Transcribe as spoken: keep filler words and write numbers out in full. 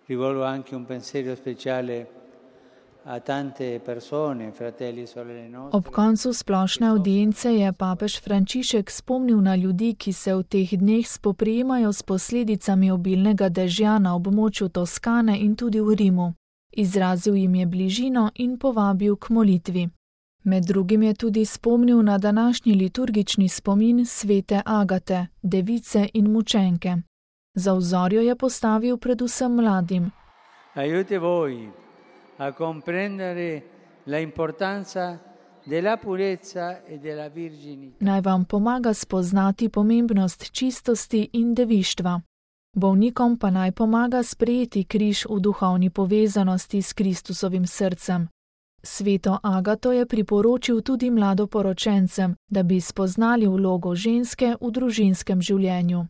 Rivolgo anche un pensiero speciale a tante persone, fratelli e sorelle nostre. Ob koncu splošne audience je papež Frančišek spomnil na ljudi, ki se v teh dneh spoprijemajo s posledicami obilnega dežja na območju Toskane in tudi v Rimu. Izrazil jim je bližino in povabil k molitvi. Med drugim je tudi spomnil na današnji liturgični spomin svete Agate, device in mučenke. Za vzor jo je postavil predvsem mladim. Aiuti voi a comprendere la importanza della purezza e della virginità. Naj vam pomaga spoznati pomembnost čistosti in devištva. Bolnikom pa naj pomaga sprejeti križ v duhovni povezanosti s Kristusovim srcem. Sveto Agato je priporočil tudi mladoporočencem, da bi spoznali vlogo ženske v družinskem življenju.